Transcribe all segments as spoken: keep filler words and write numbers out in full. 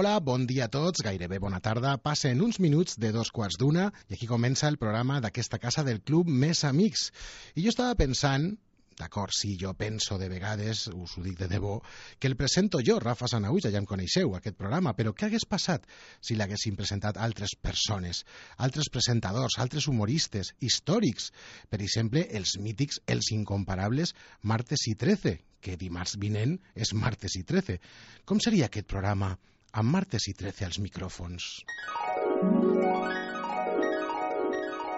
Hola, bon dia a tots, gairebé bona tarda. Passen uns minuts de dos quarts d'una i aquí comença el programa d'aquesta casa del Club Més Amics. I jo estava pensant, d'acord, sí, jo penso de vegades, us ho dic de debò, que el presento jo, Rafa Sanahuja, ja em coneixeu, aquest programa, però què hagués passat si l'haguessin presentat altres persones, altres presentadors, altres humoristes, històrics? Per exemple, els mítics, els incomparables Martes i trece, que dimarts vinent és Martes i trece. Com seria aquest programa amb Martes y trece als micrófonos?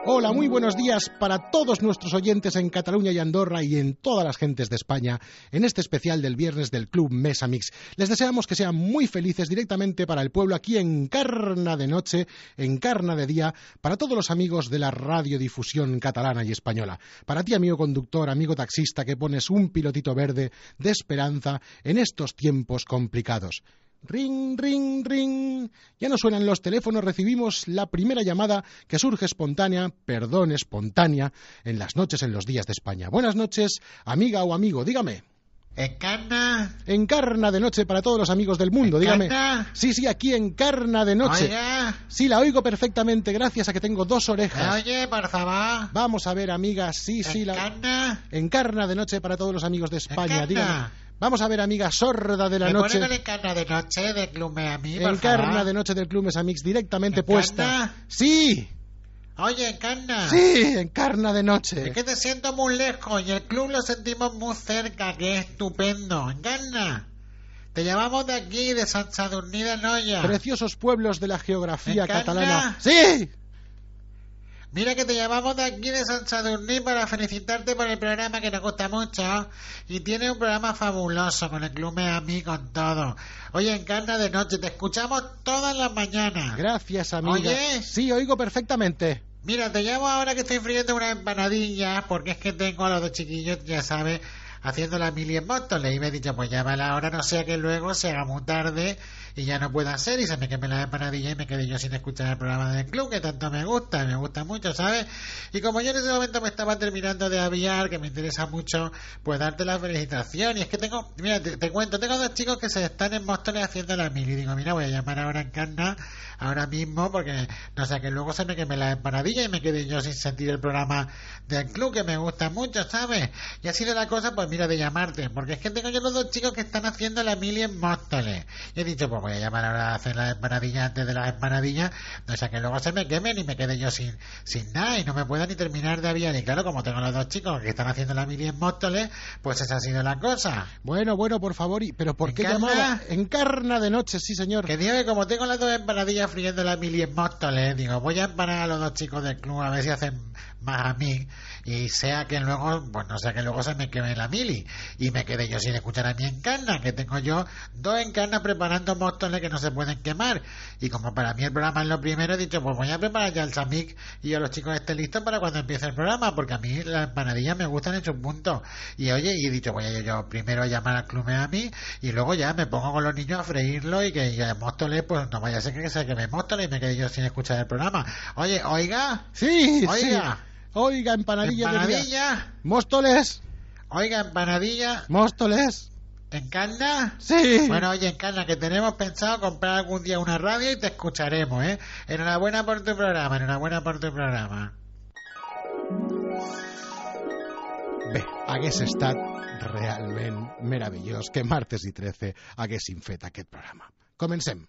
Hola, muy buenos días para todos nuestros oyentes en Cataluña y Andorra y en todas las gentes de España en este especial del viernes del Club Més Amics. Les deseamos que sean muy felices directamente para el pueblo aquí en Encarna de noche, Encarna de día, para todos los amigos de la radiodifusión catalana y española. Para ti, amigo conductor, amigo taxista, que pones un pilotito verde de esperanza en estos tiempos complicados. Ring, ring, ring. Ya no suenan los teléfonos, recibimos la primera llamada que surge espontánea, perdón, espontánea, en las noches en los días de España. Buenas noches, amiga o amigo, dígame. ¿Encarna? Encarna de noche para todos los amigos del mundo, dígame. ¿Encarna? Sí, sí, aquí Encarna de noche. Oiga. Sí, la oigo perfectamente, gracias a que tengo dos orejas. Oye, por favor. Vamos a ver, amiga, sí, sí, la... ¿Encarna? Encarna de noche para todos los amigos de España, ¿Encarna? dígame. Vamos a ver, amiga sorda de la ¿Me noche. pone con Encarna de noche de Club Més Amics, por Encarna favor? de noche del Club Més Amics directamente ¿Encarna? puesta. Sí, Oye, Encarna. sí, Encarna de noche. Es que te siento muy lejos y el club lo sentimos muy cerca, que es estupendo. Encarna. Te llamamos de aquí, de Sant Sadurní d'Anoia. Preciosos pueblos de la geografía ¿Encarna? catalana. Sí. Mira que te llamamos de aquí de Sant Sadurní para felicitarte por el programa que nos gusta mucho y tiene un programa fabuloso con el Club Més Amics, con todo. Oye, Encarna de noche, te escuchamos todas las mañanas. Gracias, amiga. Oye. Sí, oigo perfectamente. Mira, te llamo ahora que estoy friendo unas empanadillas porque es que tengo a los dos chiquillos, ya sabes, haciendo la mili en Móstoles y me he dicho, pues llámala ahora, no sea que luego se haga muy tarde y ya no pueda hacer y se me queme la empanadilla y me quedé yo sin escuchar el programa del club que tanto me gusta, me gusta mucho, ¿sabes? Y como yo en ese momento me estaba terminando de aviar, que me interesa mucho, pues darte la felicitación. Y es que tengo, mira, te, te cuento, tengo dos chicos que se están en Móstoles haciendo la mili y digo, mira, voy a llamar ahora a Encarna ahora mismo porque no sé, que luego se me queme la empanadilla y me quedé yo sin sentir el programa del club que me gusta mucho, ¿sabes? Y ha sido la cosa, pues mira, de llamarte, porque es que tengo yo los dos chicos que están haciendo la mili en Móstoles y he dicho, pues voy a llamar ahora a hacer las empanadillas antes de las empanadillas, no sé, que luego se me quemen y me quede yo sin sin nada y no me pueda ni terminar de aviar. Y claro, como tengo los dos chicos que están haciendo la mili en Móstoles, pues esa ha sido la cosa. Bueno, bueno, por favor, y- pero ¿por qué ¿Encarna? llamaba? Encarna de noche, sí, señor. Que digo que como tengo las dos empanadillas friendo la mili en Móstoles, digo, voy a empanar a los dos chicos del club a ver si hacen más a mí y sea que luego, pues no sea que luego se me queme la mili y me quede yo sin escuchar a mi Encarna, que tengo yo dos Encarnas preparando Móstoles que no se pueden quemar. Y como para mí el programa es lo primero, he dicho, pues voy a preparar ya el Samic y a los chicos estén listos para cuando empiece el programa, porque a mí las empanadillas me gustan en su punto. Y oye, y he dicho, voy a yo, yo primero a llamar al Club Més Amics y luego ya me pongo con los niños a freírlo y que ya Móstoles, pues no vaya a ser que se queme Móstoles y me quede yo sin escuchar el programa. Oye, oiga, Sí, oiga, sí. Oiga, empanadilla de día. empanadilla, Móstoles, oiga, empanadilla, Móstoles. Encarna. Sí. Bueno, oye, Encarna, que tenemos pensado comprar algún día una radio y te escucharemos, ¿eh? Enhorabuena por tu programa, enhorabuena por tu programa. Bé, hagués estat realment meravellós que Martes i trece haguessin fet aquest programa. Comencem.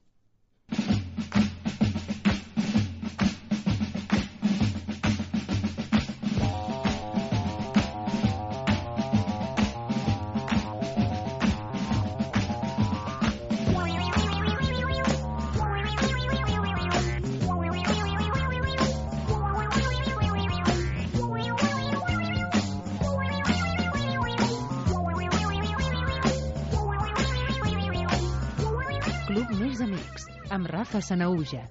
Club Més Amics, amb Rafa Sanahuja.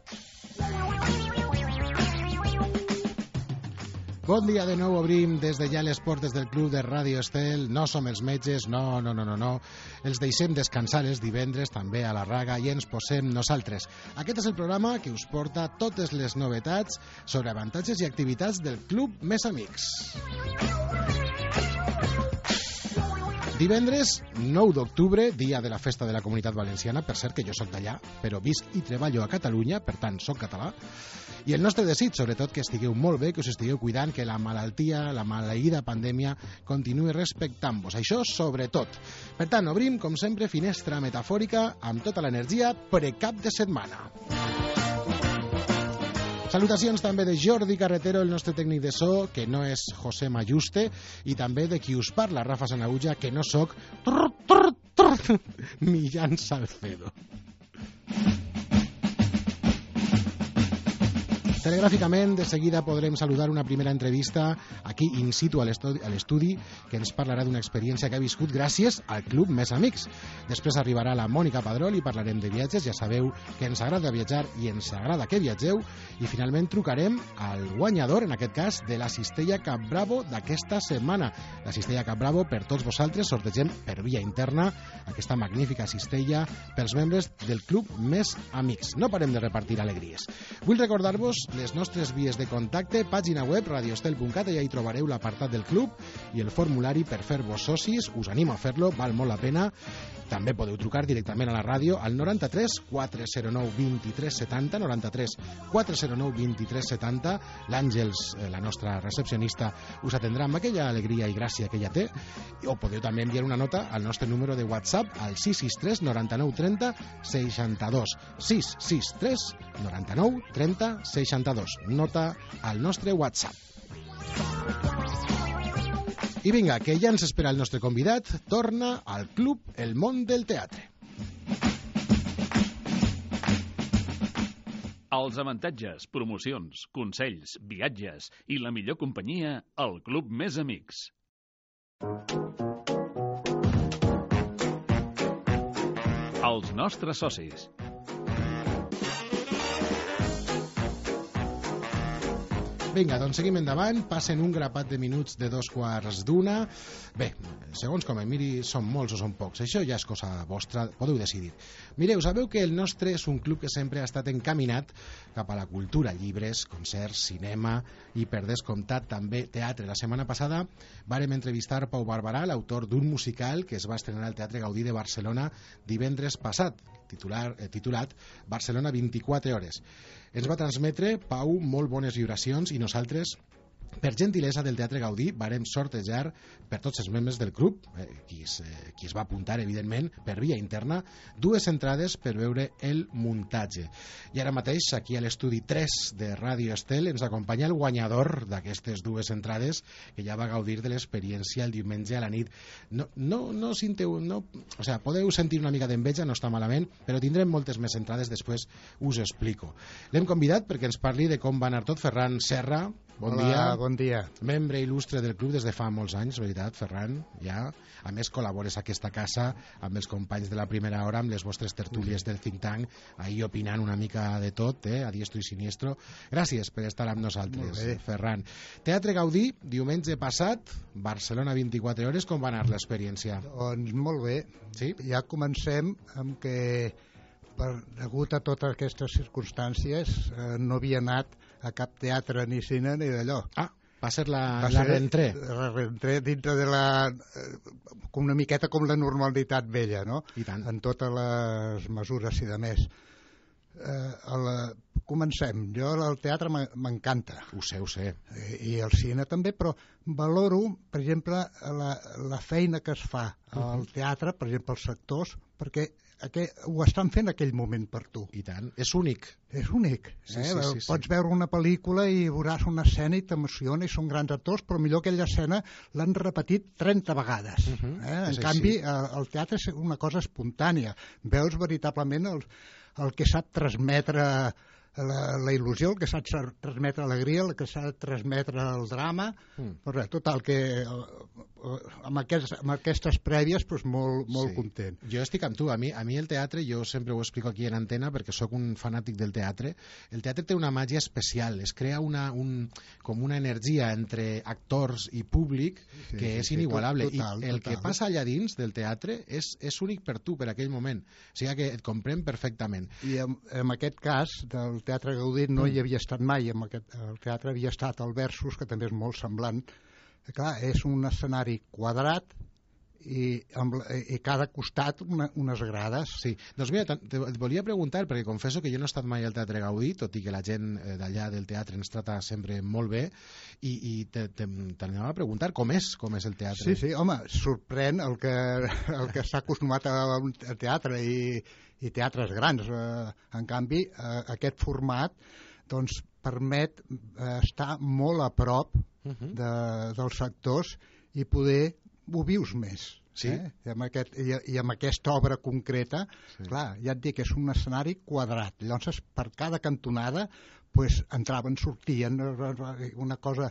Bon dia de nou, obrim des de ja les portes del Club de Ràdio Estel. No som els metges, no, no, no, no, no. Els deixem descansar els divendres, també a la raga, i ens posem nosaltres. Aquest és el programa que us porta totes les novetats sobre avantatges i activitats del Club Més Amics. Divendres nou d'octubre, dia de la festa de la Comunitat Valenciana, per cert que jo soc d'allà, però visc i treballo a Catalunya, per tant soc català, i el nostre desig, sobretot, que estigueu molt bé, que us estigueu cuidant, que la malaltia, la maleïda pandèmia continuï respectant-vos. Això sobretot. Per tant, obrim, com sempre, finestra metafòrica amb tota l'energia pre-cap de setmana. Salutacions també de Jordi Carretero, el nostre tècnic de so, que no és José Mayuste, i també de qui us parla, Rafa Sanauja, que no soc Millán Salcedo. Telegràficament, de seguida podrem saludar una primera entrevista aquí in situ a l'estudi que ens parlarà d'una experiència que ha viscut gràcies al Club Més Amics. Després arribarà la Mònica Padrol i parlarem de viatges. Ja sabeu que ens agrada viatjar i ens agrada que viatgeu. I finalment trucarem al guanyador, en aquest cas, de la cistella Cap Bravo d'aquesta setmana. La cistella Cap Bravo, per tots vosaltres, sortegem per via interna aquesta magnífica cistella pels membres del Club Més Amics. No parem de repartir alegries. Vull recordar-vos les nostres vies de contacte, pàgina web radiostel punt cat, allà hi trobareu l'apartat del club i el formulari per fer-vos socis. Us animo a fer-lo, val molt la pena. També podeu trucar directament a la ràdio al noranta-tres quatre zero nou vint-i-tres setanta, noranta-tres quatre zero nou vint-i-tres setanta. L'Àngels, la nostra recepcionista, us atendrà amb aquella alegria i gràcia que ella té. O podeu també enviar una nota al nostre número de WhatsApp al sis sis tres noranta-nou trenta seixanta-dos. sis sis tres noranta-nou trenta seixanta-dos. Nota al nostre WhatsApp. I vinga, que ja ens espera el nostre convidat. Torna al Club El Món del Teatre. Els avantatges, promocions, consells, viatges i la millor companyia al Club Més Amics. Els nostres socis. Vinga, doncs seguim endavant, passen un grapat de minuts de dos quarts d'una. Bé, segons com em miri, són molts o són pocs, això ja és cosa vostra, podeu decidir. Mireu, sabeu que el nostre és un club que sempre ha estat encaminat cap a la cultura, llibres, concerts, cinema i, per descomptat, també teatre. La setmana passada vàrem entrevistar Pau Barberà, l'autor d'un musical que es va estrenar al Teatre Gaudí de Barcelona divendres passat, titular, eh, titulat Barcelona vint-i-quatre hores. Ens va transmetre, Pau, molt bones vibracions i nosaltres, per gentilesa del Teatre Gaudí, vàrem sortejar per tots els membres del club, eh, qui, es, eh, qui es va apuntar, evidentment, per via interna, dues entrades per veure el muntatge. I ara mateix, aquí a l'estudi tres de Ràdio Estel, ens acompanya el guanyador d'aquestes dues entrades, que ja va gaudir de l'experiència el diumenge a la nit. No, no, no sinteu... No, o sea, podeu sentir una mica d'enveja, no està malament, però tindrem moltes més entrades, després us ho explico. L'hem convidat perquè ens parli de com va anar tot. Ferran Serra, bon Hola, dia. bon dia. Membre il·lustre del club des de fa molts anys, veritat, Ferran, ja. A més, col·labores a aquesta casa amb els companys de la primera hora, amb les vostres tertúlies del think tank, ahir opinant una mica de tot, eh, a diestro i siniestro. Gràcies per estar amb nosaltres, Ferran. Teatre Gaudí, diumenge passat, Barcelona vint-i-quatre hores, com va anar l'experiència? Doncs molt bé. Sí? Ja comencem amb que, per, degut a totes aquestes circumstàncies, eh, no havia anat a cap teatre ni cine ni d'allò. Ah, va ser la, Va la ser reentré. La reentré dintre de la... Eh, una miqueta com la normalitat vella, no? I tant. En totes les mesures i de més. Eh, la... Comencem. Jo el teatre m'encanta. Ho sé, ho sé. I el cine també, però valoro, per exemple, la, la feina que es fa al teatre, per exemple, els sectors, perquè aquest, ho estan fent en aquell moment per tu. I tant. És únic. És únic. Sí, eh? sí, sí, Pots sí. veure una pel·lícula i veuràs una escena i t'emociona i són grans actors, però millor aquella escena l'han repetit trenta vegades. Uh -huh. eh? En És canvi, així. el teatre és una cosa espontània. Veus veritablement el, el que sap transmetre la, la il·lusió, el que s'ha de transmetre alegria, el que s'ha de transmetre el drama, mm. però total que amb, aquest, amb aquestes prèvies doncs molt, molt Sí. content. Jo estic amb tu, a mi, a mi el teatre, jo sempre ho explico aquí en antena perquè sóc un fanàtic del teatre, el teatre té una màgia especial, es crea una, un, com una energia entre actors i públic Sí, que sí, és sí, inigualable, total, i el total. que passa allà dins del teatre és, és únic per tu, per aquell moment, o sigui que et comprem perfectament. I en, en aquest cas del Teatre Gaudí no hi havia estat mai, en aquest, el teatre havia estat al Versus, que també és molt semblant. Clar, és un escenari quadrat i, amb, i cada costat una, unes grades. Sí, doncs mira, et volia preguntar, perquè confesso que jo no he estat mai al Teatre Gaudí, tot i que la gent d'allà del teatre ens trata sempre molt bé, i, i t'anava a preguntar com és, com és el teatre. Sí, sí, home, sorprèn el que, el que s'ha acostumat a, a teatre i, i teatres grans. En canvi, aquest format doncs, permet estar molt a prop uh-huh. de, dels sectors i poder ho vius més. Sí. Eh? I, amb aquest, i, I amb aquesta obra concreta, sí. clar, ja et dic, és un escenari quadrat. Llavors, per cada cantonada, pues, entraven, sortien, una cosa...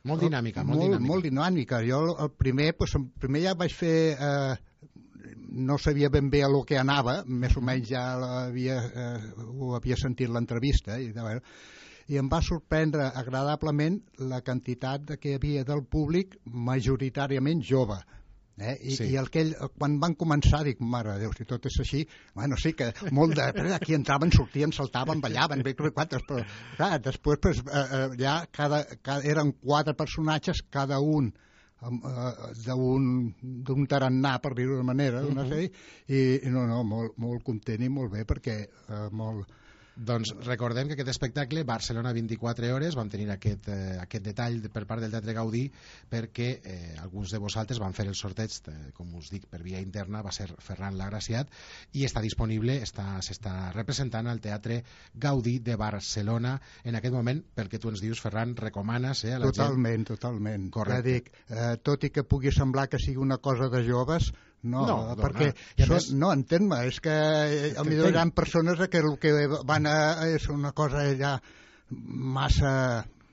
Molt dinàmica, molt, molt dinàmica. Molt dinàmica. Jo el primer, pues, el primer ja vaig fer... Eh, no sabia ben bé a lo que anava, més o menys ja havia, eh, ho havia sentit l'entrevista, i de veure... i em va sorprendre agradablement la quantitat de que hi havia del públic majoritàriament jove. Eh? I, sí. I el que ell, quan van començar, dic, mare de Déu, si tot és així, bueno, sí que molt de... Aquí entraven, sortien, saltaven, ballaven, però clar, després pues, eh, ja cada, cada, eren quatre personatges, cada un d'un tarannà, per dir-ho d'una manera, d'una sèrie, i, i no, no, molt, molt content i molt bé, perquè eh, molt... Doncs recordem que aquest espectacle, Barcelona vint-i-quatre hores, vam tenir aquest, eh, aquest detall per part del Teatre Gaudí perquè eh, alguns de vosaltres van fer el sorteig, eh, com us dic, per via interna, va ser Ferran Lagraciat, i està disponible, s'està representant al Teatre Gaudí de Barcelona en aquest moment, pel que tu ens dius, Ferran, recomanes eh, a la totalment, gent? Totalment, totalment. Ja dic, eh, tot i que pugui semblar que sigui una cosa de joves, no, no perquè són, més... no, entén-me, és que a mi hi ha persones que el que van a és una cosa ja massa,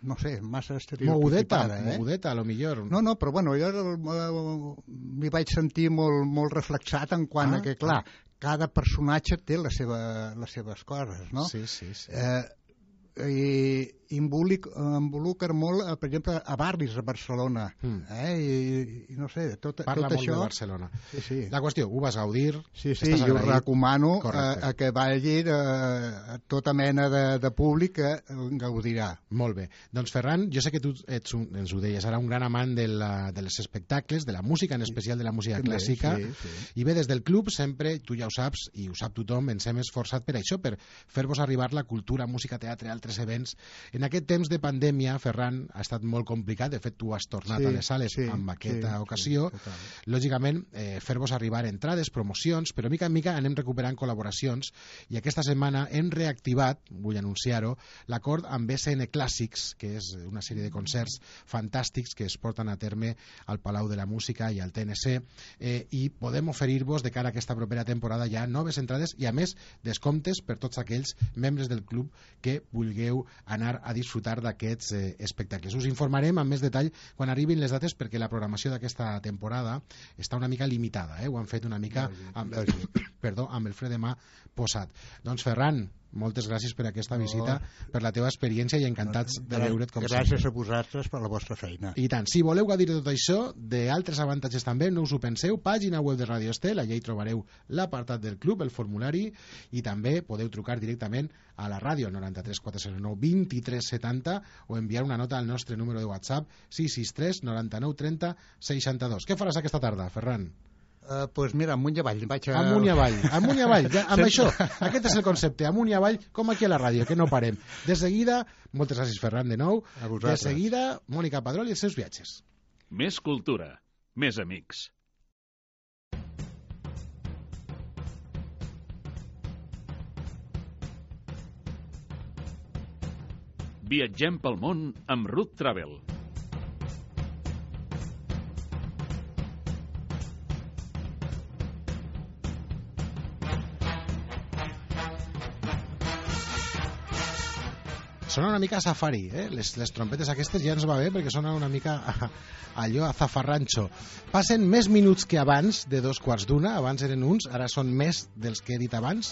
no sé, massa estereotipada. Mogudeta, eh? mogudeta, a lo millor. No, no, però bueno, jo m'hi vaig sentir molt, molt reflexat en quant ah, a que, clar, ah. cada personatge té la seva, les seves coses, no? Sí, sí, sí. Eh, i involucra molt, per exemple, a barris de Barcelona, mm. eh? I, i no sé, tot, Parla tot molt això... de Barcelona. Sí, sí. La qüestió, ho vas gaudir? Sí, sí, jo recomano a, a que vagi a, a tota mena de, de públic que gaudirà. Molt bé. Doncs Ferran, jo sé que tu ets un, ens ho deies, ara un gran amant de, la, de les espectacles, de la música, en especial de la música sí, clàssica, sí, sí. i bé, des del club sempre, tu ja ho saps, i ho sap tothom, ens hem esforçat per això, per fer-vos arribar la cultura, música, teatre, altres events. En aquest temps de pandèmia, Ferran, ha estat molt complicat, de fet tu has tornat sí, a les sales sí, amb aquesta sí, ocasió, sí, lògicament eh, fer-vos arribar entrades, promocions, però mica en mica anem recuperant col·laboracions, i aquesta setmana hem reactivat, vull anunciar-ho, l'acord amb B C N Clàssics, que és una sèrie de concerts fantàstics que es porten a terme al Palau de la Música i al T N C, eh, i podem oferir-vos de cara a aquesta propera temporada ja noves entrades i a més descomptes per tots aquells membres del club que vulgueu anar a disfrutar d'aquests eh, espectacles. Us informarem amb més detall quan arribin les dates, perquè la programació d'aquesta temporada està una mica limitada, eh? Ho han fet una mica amb, perdó, amb el fre de mà posat. Doncs Ferran, moltes gràcies per aquesta visita, no. per la teva experiència, i encantats de veure't com gràcies sempre. A vosaltres per la vostra feina. I tant. Si voleu gaudir de tot això, d'altres avantatges també, no us ho penseu, pàgina web de Radio Estel, allà hi trobareu l'apartat del club, el formulari, i també podeu trucar directament a la ràdio noranta-tres quatre zero nou vint-i-tres setanta o enviar una nota al nostre número de WhatsApp sis sis tres noranta-nou trenta seixanta-dos. Què faràs aquesta tarda, Ferran? Uh, pues mira, amunt i avall. Vaig a... Amunt i avall, amunt i avall. Ja, amb això, aquest és el concepte, amunt i avall, com aquí a la ràdio, que no parem. De seguida, moltes gràcies, Ferran, de nou. De seguida, Mònica Padrol i els seus viatges. Més cultura, més amics. Viatgem pel món amb Ruth Travel. Sona una mica a safari, eh? les, les trompetes aquestes ja ens va bé perquè sona una mica a, a allò a zafarranxo. Passen més minuts que abans de dos quarts d'una, abans eren uns, ara són més dels que he dit abans.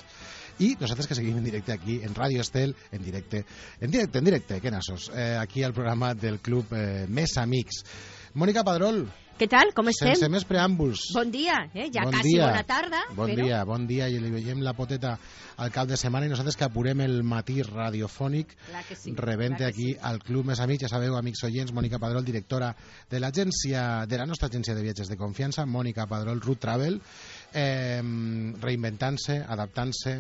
y nosotros que seguimos en directe aquí en Radio Estel, en directe, en directe, en directe, què nassos, eh, aquí al programa del Club eh, Més Amics. Mònica Padrol. Què tal? Com estem? Sense més preàmbuls. Bon dia, eh? ja bon quasi dia. bona tarda. Bon però... dia, bon dia, i li veiem la poteta al cap de setmana i nosaltres que apurem el matí radiofònic sí, rebente aquí sí. al Club Més Amics. Ja sabeu, amics oients, Mònica Padrol, directora de l'agència, de la nostra agència de viatges de confiança, Mònica Padrol, Root Travel, eh, reinventant-se, adaptant-se,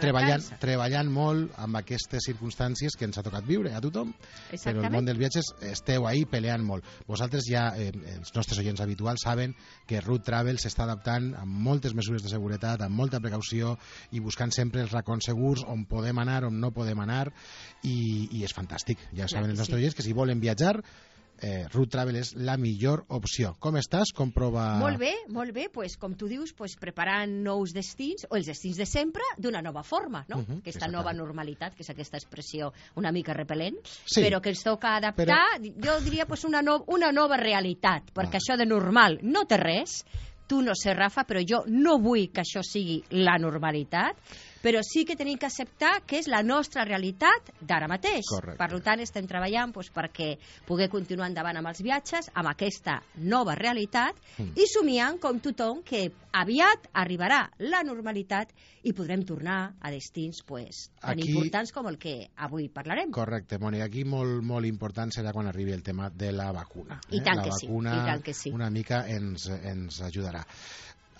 treballant, treballant molt amb aquestes circumstàncies que ens ha tocat viure a tothom, però el món dels viatges esteu ahí peleant molt. Vosaltres ja, eh, els nostres oients habituals, saben que Root Travel s'està adaptant amb moltes mesures de seguretat, amb molta precaució i buscant sempre els racons segurs on podem anar, on no podem anar, i, i és fantàstic. Ja saben els nostres oients que si volen viatjar, Eh, Root Travel és la millor opció. Com estàs? Com prova... Molt bé, molt bé. Pues, com tu dius, pues, preparant nous destins, o els destins de sempre, d'una nova forma, no? Uh -huh, aquesta nova normalitat, que és aquesta expressió una mica repel·lent, sí, però que ens toca adaptar, però... jo diria pues, una, no, una nova realitat, perquè ah. això de normal no té res. Tu no sé, Rafa, però jo no vull que això sigui la normalitat, però sí que tenim que acceptar que és la nostra realitat d'ara mateix. Correcte. Per tant, estem treballant doncs, perquè poder continuar endavant amb els viatges, amb aquesta nova realitat, mm. i somiant, com tothom, que aviat arribarà la normalitat i podrem tornar a destins pues, tan aquí... importants com el que avui parlarem. Correcte, Mònica. Aquí molt, molt important serà quan arribi el tema de la vacuna. I tant, eh? que, la sí. vacuna I tant que sí. Una mica ens, ens ajudarà.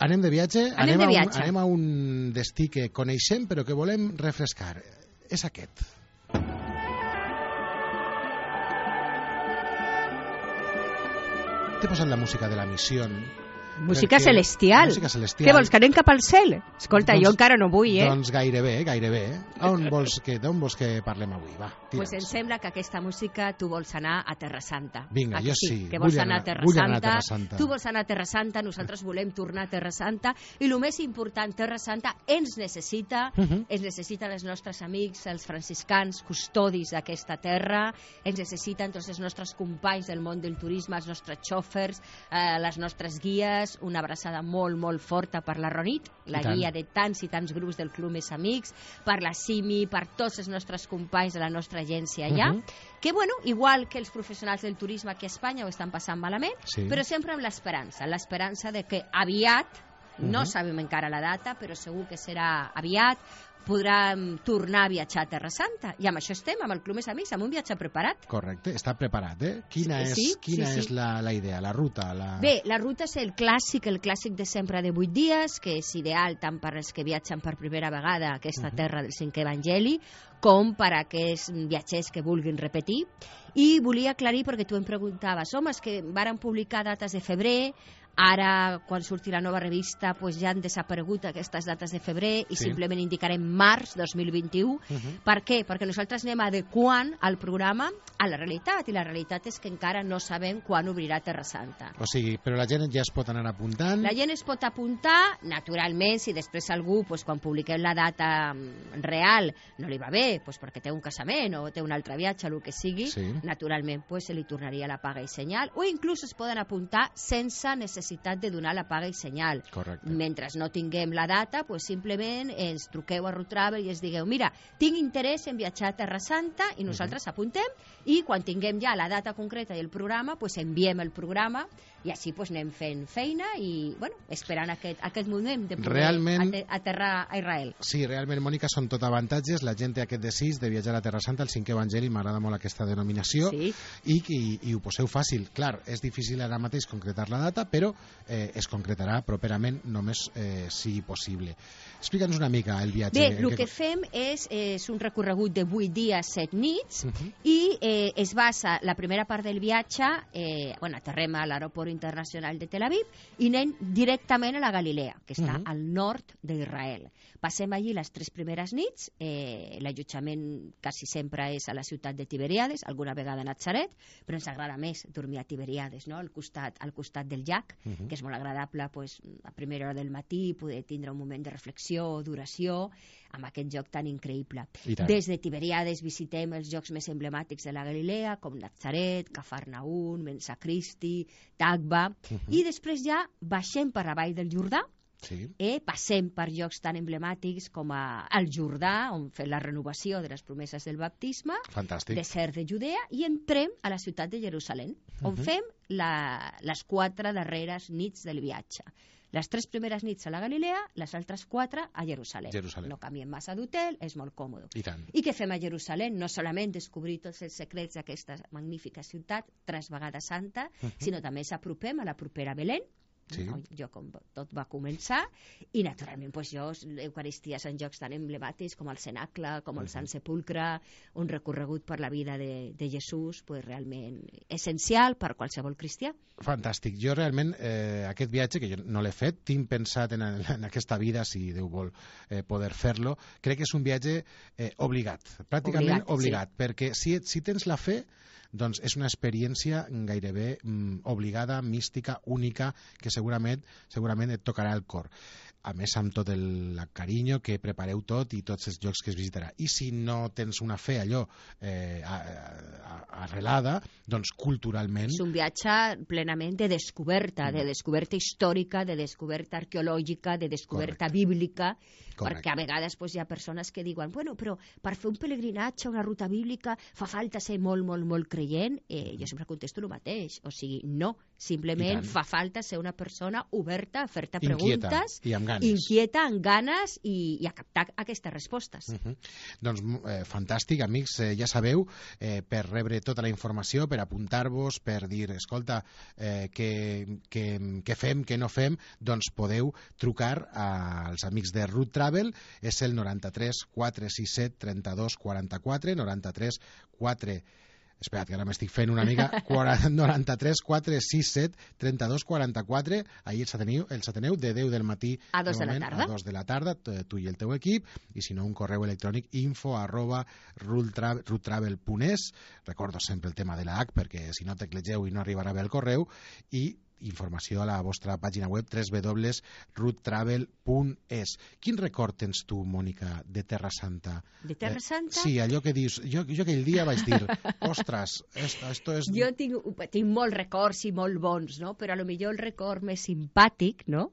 Anem de viatge, anem, anem, de a viatge. Un, anem a un destí que coneixem però que volem refrescar. És aquest. T'he posat la música de la missió. Música celestial. Música celestial. Què vols, que anem cap al cel? Escolta, doncs, jo encara no vull, eh? Doncs gairebé, gairebé. On vols que, d'on vols que parlem avui? Va, tira'ns. Pues em sembla que aquesta música tu vols anar a Terra Santa. Vinga, jo sí. sí. Que vols anar, anar, a Terra vull Santa. anar a Terra Santa. Tu vols anar a Terra Santa, nosaltres volem tornar a Terra Santa. I el més important, Terra Santa ens necessita, uh -huh. ens necessiten els nostres amics, els franciscans, custodis d'aquesta terra, ens necessiten tots els nostres companys del món del turisme, els nostres xòfers, eh, les nostres guies, una abraçada molt, molt forta per la Ronit, la guia de tants i tants grups del Club Més Amics, per la Simi, per tots els nostres companys de la nostra agència allà, uh -huh. que, bueno, igual que els professionals del turisme aquí a Espanya ho estan passant malament, sí. però sempre amb l'esperança, l'esperança de que aviat, uh -huh. no sabem encara la data, però segur que serà aviat, podrem tornar a viatjar a Terra Santa. I amb això estem, amb el Club Més Amics, amb un viatge preparat. Correcte, està preparat, eh? Quina sí, és, quina sí, sí. és la, la idea, la ruta? La... Bé, la ruta és el clàssic, el clàssic de sempre de vuit dies, que és ideal tant per als que viatgen per primera vegada a aquesta uh-huh. terra del cinquè evangeli, com per a aquests viatgers que vulguin repetir. I volia aclarir, perquè tu em preguntaves, home, és que varen publicar dates de febrer, ara, quan surti la nova revista, pues ja han desaparegut aquestes dates de febrer i sí. simplement indicarem març dos mil vint-i-u. Uh-huh. Per què? Perquè nosaltres anem adequant el programa a la realitat, i la realitat és que encara no sabem quan obrirà Terra Santa. O sigui, però la gent ja es pot anar apuntant? La gent es pot apuntar, naturalment, si després algú, pues, quan publiquem la data real, no li va bé, pues, perquè té un casament o té un altre viatge, el que sigui, sí. naturalment, pues, se li tornaria la paga i senyal, o inclús es poden apuntar sense necessitat necessitat de donar la paga i senyal. Correcte. Mentre no tinguem la data, pues simplement ens truqueu a Root Travel i ens digueu, mira, tinc interès en viatjar a Terra Santa, i nosaltres uh-huh. apuntem, i quan tinguem ja la data concreta i el programa, pues enviem el programa, i així pues anem fent feina i, bueno, esperant aquest, aquest moment de poder realment, aterrar a Israel. Sí, realment, Mònica, són tot avantatges. La gent té aquest desig de viatjar a Terra Santa, el cinquè evangeli, m'agrada molt aquesta denominació, sí. i, i, i ho poseu fàcil. Clar, és difícil ara mateix concretar la data, però eh, es concretarà properament, només eh, sigui possible. Explica'ns una mica el viatge. Bé, el que... que fem és, és un recorregut de vuit dies, set nits, uh-huh. i eh, es basa, la primera part del viatge, eh, bueno, aterrem a l'aeroport internacional de Tel Aviv i anem directament a la Galilea, que està uh-huh. al nord d'Israel. Passem allí les tres primeres nits, eh, l'allotjament quasi sempre és a la ciutat de Tiberíades, alguna vegada a Natzaret, però ens agrada més dormir a Tiberíades, no? al, costat, al costat del llac, uh-huh. que és molt agradable pues, a primera hora del matí poder tindre un moment de reflexió, d'oració, amb aquest lloc tan increïble. Des de Tiberíades visitem els llocs més emblemàtics de la Galilea, com Natzaret, Cafarnaún, Mensa Cristi, Tagba, uh-huh. i després ja baixem per la vall del Jordà, Sí. Eh, passem per llocs tan emblemàtics com a, el Jordà, on fem la renovació de les promeses del baptisme, Fantàstic. desert de Judea, i entrem a la ciutat de Jerusalem, on Uh-huh. fem la, les quatre darreres nits del viatge. Les tres primeres nits a la Galilea, les altres quatre a Jerusalem. Jerusalem. No canviem massa d'hotel, és molt còmode. I tant. I què fem a Jerusalem? No solament descobrir tots els secrets d'aquesta magnífica ciutat, tres vegades santa, Uh-huh. sinó també s'apropem a la propera Belén, Sí. on jo com tot va començar, i naturalment pues, jo l'Eucaristia en llocs tan emblemàtics com el Cenacle, com el Sant Sepulcre, un recorregut per la vida de, de Jesús, pues, realment essencial per qualsevol cristià. Fantàstic. Jo realment eh, aquest viatge, que jo no l'he fet, tinc pensat en, en aquesta vida, si Déu vol eh, poder fer-lo, crec que és un viatge eh, obligat, pràcticament Obligat, obligat, sí. perquè si, si tens la fe, doncs és una experiència gairebé mm, obligada, mística, única, que segurament segurament et tocarà el cor. A més, amb tot el carinyo que prepareu tot i tots els llocs que es visitarà. I si no tens una fe allò eh, a, a, arrelada, doncs culturalment... És un viatge plenament de descoberta, de descoberta històrica, de descoberta arqueològica, de descoberta Correcte. bíblica, Correcte. perquè a vegades pues, hi ha persones que diuen bueno, però per fer un pelegrinatge, una ruta bíblica, fa falta ser molt, molt, molt creient. Eh, jo sempre contesto el mateix, o sigui, no, simplement fa falta ser una persona oberta a fer-te Inquieta preguntes, i amb ganes. inquieta, amb ganes i, i a captar aquestes respostes. Uh -huh. Doncs eh, fantàstic, amics, eh, ja sabeu, eh, per rebre tota la informació, per apuntar-vos, per dir, escolta, eh, què, què, què fem, què no fem, doncs podeu trucar als amics de Root Travel, és el noranta-tres quatre sis set trenta-dos quaranta-quatre, noranta-tres quatre Espera't, que ara m'estic fent una mica. noranta-tres quatre sis set trenta-dos quaranta-quatre. Ahir els ateniu, els ateneu de deu del matí A dos de la moment, tarda. a dos de la tarda, tu i el teu equip, i si no, un correu electrònic info arroba roottravel punt es. Recordo sempre el tema de la H, perquè si no teclegeu i no arribarà bé el correu, i informació a la vostra pàgina web w w w punt root travel punt es. Quin record tens tu, Mònica, de Terra Santa? De Terra Eh, Santa? sí, allò que dius... Jo, jo aquell dia vaig dir, ostres, esto, esto es... Jo tinc, tinc molts records i molt bons, no? Però a lo millor el record més simpàtic, no?,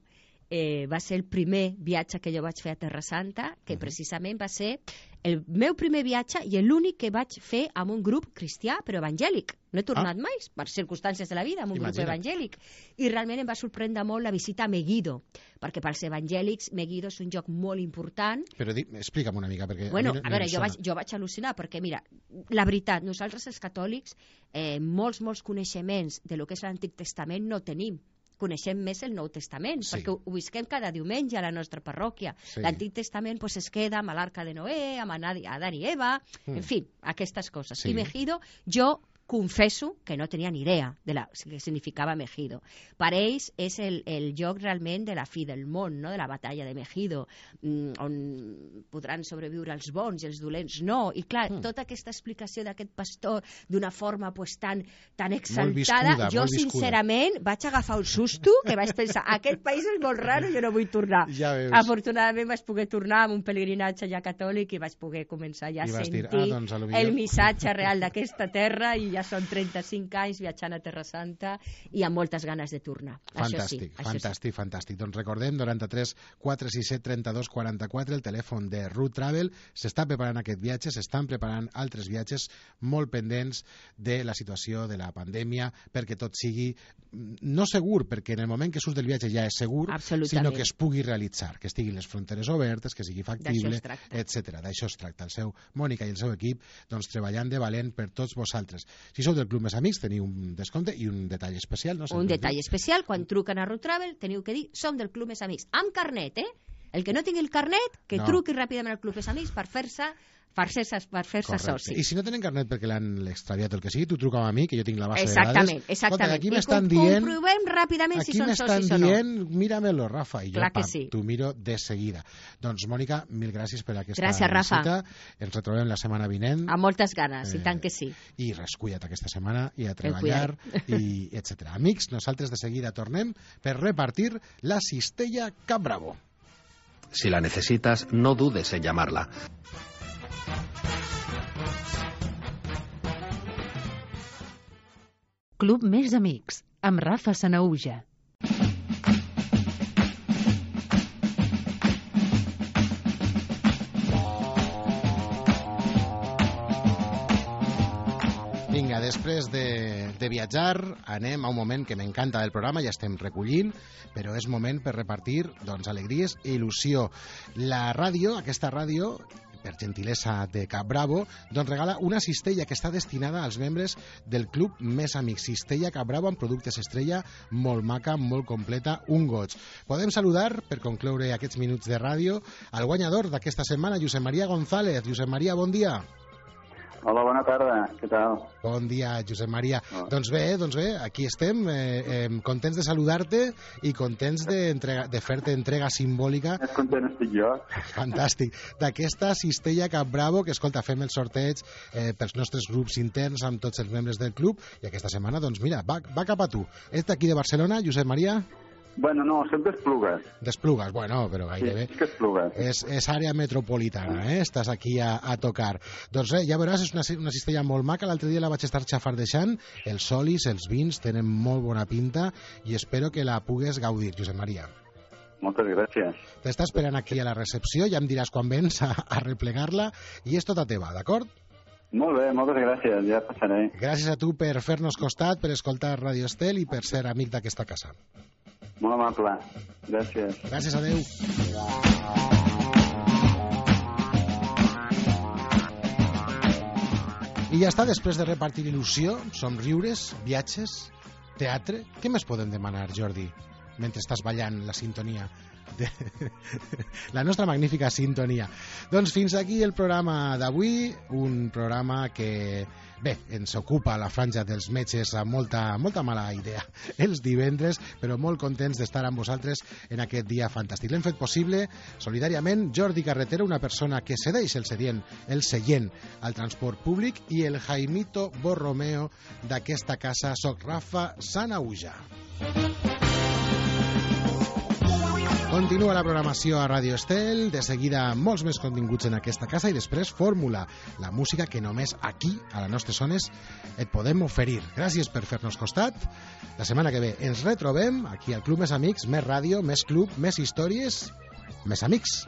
eh, va ser el primer viatge que jo vaig fer a Terra Santa, que Uh-huh. precisament va ser el meu primer viatge i l'únic que vaig fer amb un grup cristià, però evangèlic. No he tornat Ah. mai, per circumstàncies de la vida, amb un Imagina't. grup evangèlic. I realment em va sorprendre molt la visita a Megiddo, perquè pels evangèlics Megiddo és un lloc molt important. Però di, explica'm una mica, perquè... Bueno, a, mi no, a veure, no em jo sona. vaig, jo vaig al·lucinar, perquè mira, la veritat, nosaltres els catòlics eh, molts, molts coneixements de lo que és l'Antic Testament no tenim. Coneixem més el Nou Testament, Sí. perquè ho, ho visquem cada diumenge a la nostra parròquia. Sí. L'Antic Testament pues, es queda amb l'Arca de Noé, amb Adán i Eva, Mm. en fi, aquestes coses. Sí. I Megiddo, jo confesso que no tenia ni idea de la, que significava Megiddo. Per ells és el, el lloc realment de la fi del món, no? De la batalla de Megiddo, mm, on podran sobreviure els bons i els dolents no. I clar, Mm. tota aquesta explicació d'aquest pastor d'una forma pues, tan, tan Molt exaltada, viscuda, jo molt viscuda. sincerament vaig agafar un susto que vaig pensar, aquest país és molt raro, jo no vull tornar. Ja veus. Afortunadament vaig poder tornar amb un pelegrinatge ja catòlic i vaig poder començar ja I a vas sentir dir, ah, doncs, a lo millor- el missatge real d'aquesta terra i ja són trenta-cinc anys viatjant a Terra Santa i amb moltes ganes de tornar. Fantàstic, això sí, fantàstic, això fantàstic. Doncs recordem, noranta-tres quatre sis set trenta-dos quaranta-quatre, el telèfon de Root Travel. S'està preparant aquest viatge, s'estan preparant altres viatges molt pendents de la situació de la pandèmia, perquè tot sigui mm, no segur, perquè en el moment que surts del viatge ja és segur, Absolutament. sinó que es pugui realitzar, que estiguin les fronteres obertes, que sigui factible, D'això es tracta. etcètera. D'això es tracta. El seu Mònica i el seu equip doncs, treballant de valent per tots vosaltres. Si sou del Club Més Amics teniu un descompte i un detall especial. No? sí. Un detall especial, quan truquen a Root Travel teniu que dir, som del Club Més Amics, amb carnet, eh? El que no tingui el carnet, que No. truqui ràpidament al Club Més Amics per fer-se per fer-se per fer-se Correcte. soci. I si no tenen carnet perquè l'han extraviat o el que sigui, tu truca'm a mi, que jo tinc la base Exactament, de dades. exactament. Escolta, aquí I m'estan com- dient... comprovem ràpidament si Aquí són m'estan socis o no. dient, míramelo, Rafa, i jo Clar que pam, sí. t'ho miro de seguida. Doncs, Mònica, mil gràcies per aquesta Gràcies, Rafa. visita. Ens retrobem la setmana vinent. Amb moltes ganes, Eh, i tant que sí. I res, cuida't aquesta setmana i a El treballar, i etcètera. Amics, nosaltres de seguida tornem per repartir la cistella Cap Bravo. Si la necesitas, no dudes en llamarla. Club Més Amics, amb Rafa Sanauja. després de, de viatjar, anem a un moment que m'encanta del programa, ja estem recollint, però és moment per repartir doncs, alegries i il·lusió. La ràdio, aquesta ràdio, per gentilesa de Cap Bravo, doncs regala una cistella que està destinada als membres del Club Més Amics. Cistella Cap Bravo amb productes estrella, molt maca, molt completa, un goig. Podem saludar, per concloure aquests minuts de ràdio, al guanyador d'aquesta setmana, Josep Maria González. Josep Maria, bon dia. Hola, bona tarda, què tal? Bon dia, Josep Maria. Oh. Doncs bé, doncs bé, aquí estem, eh, eh, contents de saludar-te i contents de, entrega, de fer-te entrega simbòlica. Més content estic jo. Fantàstic. D'aquesta cistella Cap Bravo, que, escolta, fem el sorteig eh, pels nostres grups interns amb tots els membres del club, i aquesta setmana, doncs mira, va, va cap a tu. Ets d'aquí de Barcelona, Josep Maria? Bueno, no, sempre Esplugues. D'Esplugues, bueno, però gairebé. Sí, és que Esplugues. És, és àrea metropolitana, eh? Estàs aquí a, a tocar. Doncs res, ja veuràs, és una, una cistella molt maca. L'altre dia la vaig estar xafardejant. Els olis, els vins, tenen molt bona pinta i espero que la pugues gaudir, Josep Maria. Moltes gràcies. T'està esperant aquí a la recepció, ja em diràs quan vens a, a replegar-la i és tota teva, d'acord? Molt bé, moltes gràcies, ja passaré. Gràcies a tu per fer-nos costat, per escoltar Radio Estel i per ser amic d'aquesta casa. Molt amable. Gràcies. Gràcies, adeu. I ja està, després de repartir il·lusió, somriures, viatges, teatre... Què més podem demanar, Jordi, mentre estàs ballant la sintonia? De... la nostra magnífica sintonia. Doncs fins aquí el programa d'avui, un programa que, bé, ens ocupa la franja dels metges amb molta, molta mala idea els divendres, però molt contents d'estar amb vosaltres en aquest dia fantàstic. L'hem fet possible solidàriament Jordi Carretero, una persona que cedeix el seient, el seient al transport públic, i el Jaimito Borromeo d'aquesta casa. Soc Rafa Sanauja. Continua la programació a Radio Estel, de seguida molts més continguts en aquesta casa i després Fórmula, la música que només aquí, a les nostres zones, et podem oferir. Gràcies per fer-nos costat. La setmana que ve ens retrobem aquí al Club Més Amics, més ràdio, més club, més històries, més amics.